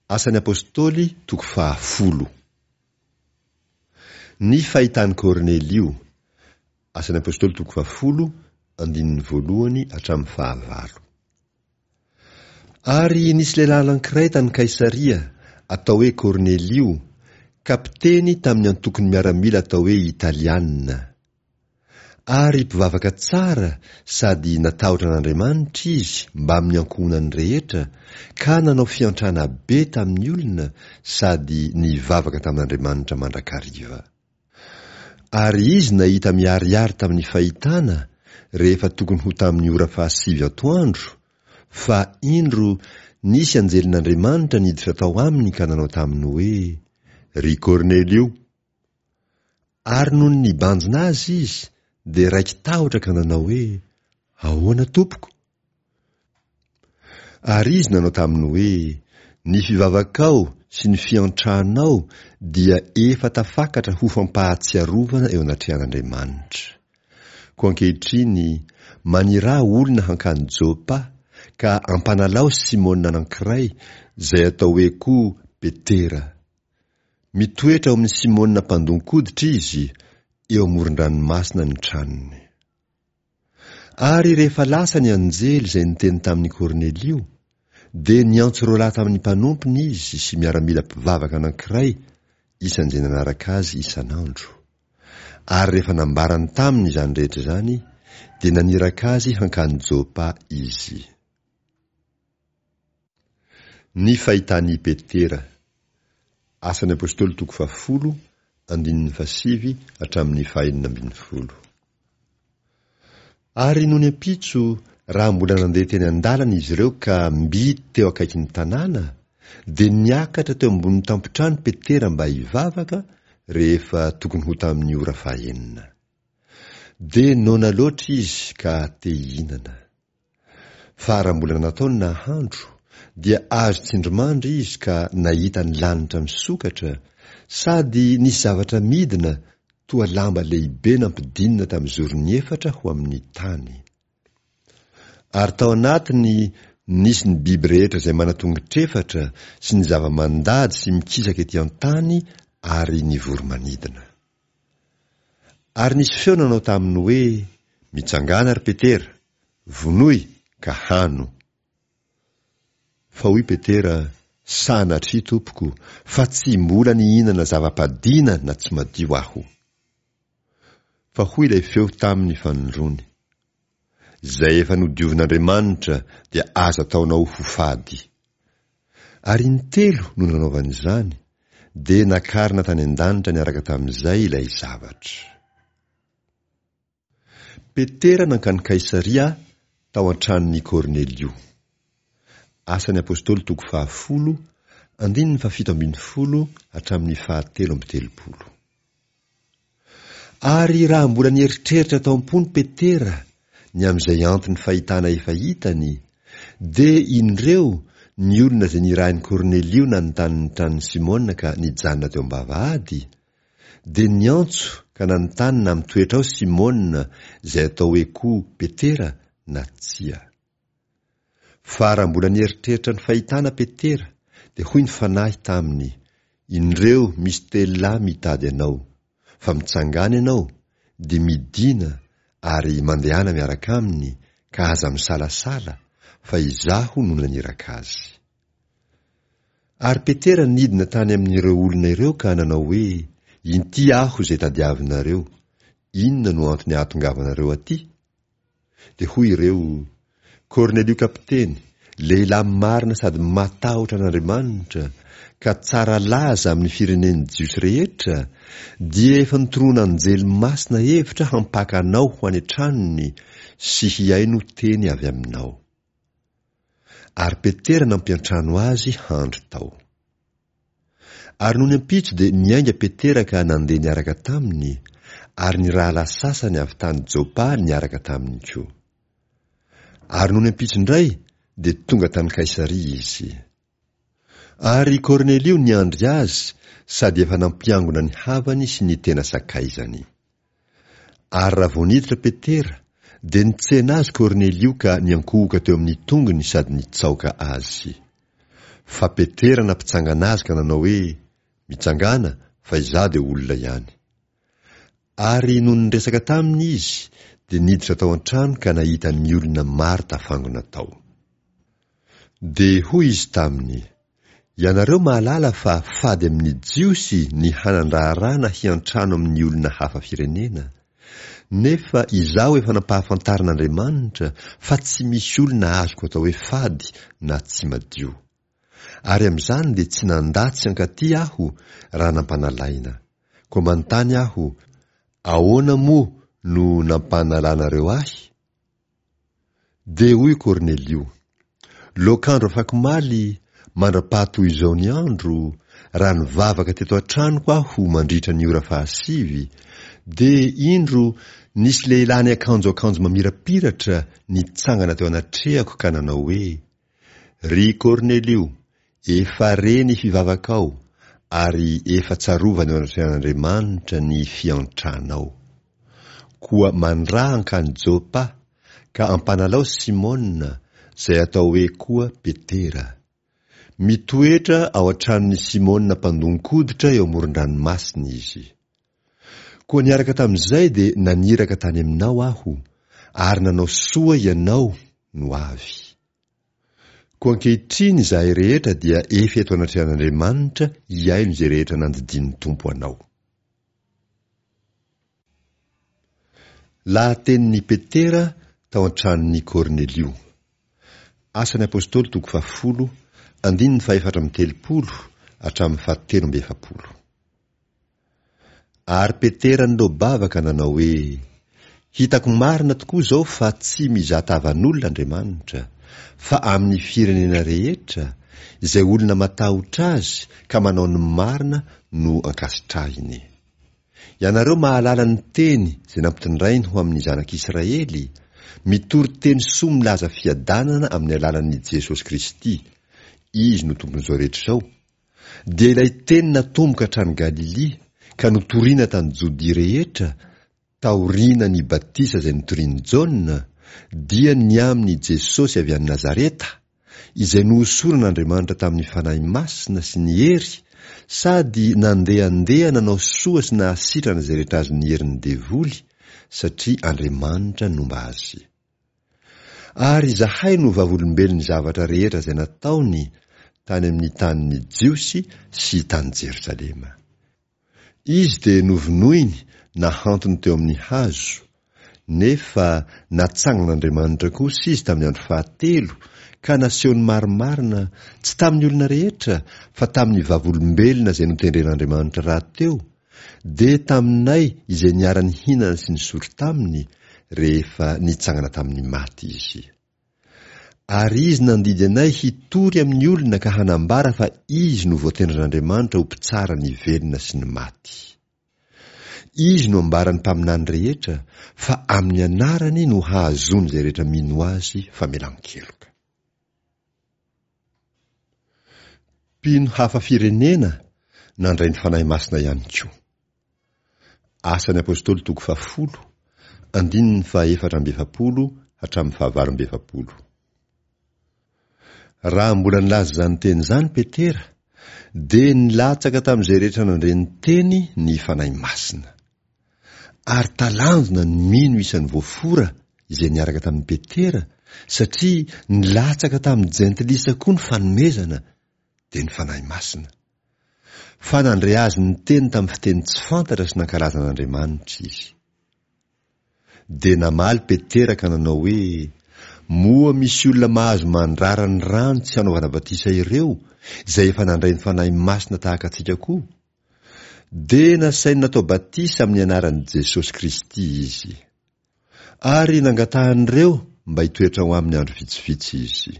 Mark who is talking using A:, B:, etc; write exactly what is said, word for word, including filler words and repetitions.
A: Asan'ny Apostoly toko fahafolo. Ny fahitan'i Kornelio. Asan'ny Apostoly toko fahafolo, andininy voalohany hatramin'ny fahavalo. Ary nisy lehilahy anankiray tany Kaisaria, atao hoe Kornelio, kapiteny tamin'ny antokon'ny miaramila atao hoe Italiana. Ary mpivavaka tsara sady natahotra an'Andriamanitra izy mbamin'ny ankohonany rehetra, ka nanao fiantrana be tamin'ny olona sady nivavaka tamin'Andriamanitra mandrakariva. Ary izy nahita miharihary tamin'ny fahitana, rehefa tokony ho tamin'ny ora fahasivy atoandro, fa indro nisy anjelin'Andriamanitra niditra tao aminy ka nanao taminy hoe, Ry Kornelio! Ary nony nibanjina azy izy, dia raiki-tahotra ka nanao hoe, Ahoana, tompoko? Ary izy nanao taminy hoe, Ny fivavakao sy ny fiantranao dia efa tafakatra ho fampahatsiarovana eo anatrehan'Andriamanitra. Koa ankehitriny, maniraha olona hankany Jopa, ka ampanalao Simona anankiray, izay atao hoe koa Petera. Mitoetra ao amin'i Simona mpandon-koditra izy, eo amoron-dranomasina ny tranony. Ary rehefa lasa ny anjely izay niteny tamin'i Kornelio, dia niantso roa lahy tamin'ny mpanompony izy sy miaramila mpivavaka anankiray isan'izay nanaraka azy isan'andro. Ary rehefa nambarany taminy izany rehetra izany, dia naniraka azy hankany Jopa izy. Ny fahitan'i Petera. Asan'ny Apostoly toko fahafolo, andininy fahasivy hatramin'ny fahenina ambin'ny folo. Ary nony ampitso, raha mbola nandeha teny an-dalana izy ireo ka mby teo akaikin'ny tanàna, dia niakatra teo ambony tampon-trano Petera mba hivavaka, rehefa tokony ho tamin'ny ora fahenina. Dia noana loatra izy ka te hihinana. Fa raha mbola natao ny nahandro, dia azo tsindrimandry izy ka nahita ny lanitra misokatra, sady nisy zavatra midina toa lamba lehibe nampidinina tamin'ny zorony efatra ho amin'ny tany. Ary tao anatiny nisy ny biby rehetra izay manan-tongotr'efatra sy ny zava-mandady sy mikisaka ety an-tany ary ny voro-manidina. Ary nisy feo nanao taminy hoe, Mitsangàna, ry Petera, vonoy ka hano. Fa hoy Petera, Sanatria, tompoko, fa tsy mbola nihinana zava-padiana na tsy madio aho. Fa hoy ilay feo taminy fanindroany, Izay efa nodiovin'Andriamanitra dia aza ataonao ho fady. Ary intelo no nanaovany izany, dia nakarina tany an-danitra niaraka tamin'izay ilay zavatra. Petera nankany Kaisaria tao an-tranon'i Kornelio. Asan'ny Apostoly toko fahafolo, andininy fahafito ambin'ny folo hatramin'ny fahatelo amby telopolo. Ary raha mbola nieritreritra tao am-pony Petera ny amin'izay anton'ny fahitana efa hitany, dia indreo ny olona izay nirahin'i Kornelio nanontany ny tranon'i Simona ka nijanona teo am-bavahady, dia niantso ka nanontany na mitoetra ao Simona izay atao hoe koa Petera na tsia. Fa raha mbola nieritreritra ny fahitana Petera, dia hoy ny Fanahy taminy, Indreo misy telo lahy mitady anao, fa mitsangàna ianao, dia midìna ary mandehana miaraka aminy, ka aza misalasala, fa Izaho no naniraka azy. Ary Petera nidina tany amin'ireo olona ireo ka nanao hoe, Inty aho izay tadiavinareo, inona no antony ahatongavanareo aty? Dia hoy ireo, Kornelio kapiteny, lehilahy marina sady matahotra an'Andriamanitra, ka tsara laza amin'ny firenen'ny Jiosy rehetra, dia efa notoroan'anjely masina hevitra hampaka anao ho any an-tranony sy hihaino teny avy aminao. Ary Petera nampiantrano azy handry tao. Ary nony ampitso dia niainga Petera ka nandeha niaraka taminy, ary ny rahalahy sasany avy tany Jopa niaraka taminy koa. Ary nony ampitso indray dia tonga tany Kaisaria izy. Ary Kornelio niandry azy sady efa nampiangona ny havany sy ny tena sakaizany. Ary raha vao niditra Petera, dia nitsena azy Kornelio ka niankohoka teo amin'ny tongony sady nitsaoka azy. Fa Petera nampitsangana azy ka nanao hoe, Mitsangàna, fa izaho dia olona ihany. Ary nony niresaka taminy izy, dia niditra tao an-trano ka nahita ny olona maro tafangona tao. Dia hoy izy taminy, Ianareo mahalala fa fady amin'ny Jiosy ny hanan-draharaha na hiantrano amin'ny olona hafa firenena. Nefa izaho efa nampahafantarin'Andriamanitra fa tsy misy olona azoko atao hoe fady na tsy madio. Ary amin'izany dia tsy nandà tsy hankaty aho raha nampanalaina. Koa manontany aho, ahoana moa no nampanalanareo ahy? Dia hoy Kornelio, Loakandro afak'omaly, mandra-paha toy izao ny andro, raha nivavaka teto an-tranoko aho mandritra ny ora fahasivy, dia indro nisy lehilahy niakanjo akanjo mamirapiratra nitsangana teo anatrehako ka nanao hoe, Ry Kornelio, efa re ny fivavakao, ary efa tsarovana eo anatrehan'Andriamanitra ny fiantranao. Koa mandraha hankany Jopa, ka ampanalao Simona, izay atao hoe koa Petera. Mitoetra ao an-tranon'i Simona mpandon-koditra eo amoron-dranomasina izy. Koa niaraka tamin'izay dia naniraka tany aminao aho, ary nanao soa ianao no avy. Koa ankehitriny izahay rehetra dia efa eto anatrehan'Andriamanitra hihaino izay rehetra nandidian'ny Tompo anao. Lahatenin'i Petera tao an-tranon'i Kornelio. Asan'ny Apostoly toko fahafolo, andininy fahefatra amby telopolo hatramin'ny fahatelo amby efapolo. Ary Petera niloa-bava ka nanao hoe, Hitako marina tokoa izao fa tsy mizaha tavan'olona Andriamanitra, fa amin'ny firenena rehetra, izay olona matahotra Azy ka manao ny marina no ankasitrahiny. Ianareo mahalala ny teny izay nampitondrainy ho amin'ny zanak'Israely, mitory teny soa milaza fiadanana amin'ny alalan'i Jesosy Kristy, Izy no Tompon'izao rehetra izao, dia ilay teny natomboka hatrany Galilia ka notorina tany Jodia rehetra taoriana ny batisa izay notorian'i Jaona, dia ny amin'i Jesosy avy any Nazareta, izay nohosoran'Andriamanitra tamin'ny Fanahy Masina sy ny hery, sady nandehandeha nanao soa sy nahasitrana izay rehetra azon'ny herin'ny devoly, satria Andriamanitra nomba azy. Ary izahay no vavolombelon'ny zavatra rehetra izay nataony tany amin'ny tanin'ny Jiosy sy tany Jerosalema. Izy dia novonoiny nahantony teo amin'ny hazo, nefa natsangan'Andriamanitra kosa izy tamin'ny andro fahatelo ka nasehony marimarina, tsy tamin'ny olona rehetra, fa tamin'ny vavolombelona izay notendren'Andriamanitra rahateo, dia taminay izay niara-nihinana sy nisotro taminy rehefa nitsangana tamin'ny maty izy. Ary izy nandidy anay hitory amin'ny olona ka hanambara fa izy no voatendrin'Andriamanitra ho mpitsara ny velona sy ny maty. Izy no ambaran'ny mpaminany rehetra fa amin'ny anarany no hahazoan'izay rehetra mino azy famelan-keloka. Mpino hafa firenena nandray ny Fanahy Masina ihany koa. Asan'ny Apostoly toko fahafolo, andininy fahaefatra amby efapolo hatramin'ny fahavalo amby efapolo. Raha mbola nilaza izany teny izany Petera, dia nilatsaka tamin'izay rehetra nandre ny teny ny Fanahy Masina. Ary talanjona ny mino isan'ny voafora izay niaraka tamin'i Petera, satria nilatsaka tamin'ny jentilisa koa ny fanomezana, dia ny Fanahy Masina. Fa nandre azy niteny tamin'ny fiteny tsy fantatra sy nankalaza an'Andriamanitra izy. Dia namaly Petera ka nanao hoe, Moa misy olona mahazo mandrara ny rano tsy hanaovana batisa ireo, izay efa nandray ny Fanahy Masina tahaka antsika koa? Dia nasainy natao batisa amin'ny anaran'i Jesosy Kristy izy. Ary nangatahan'ireo mba hitoetra ao aminy andro vitsivitsy izy.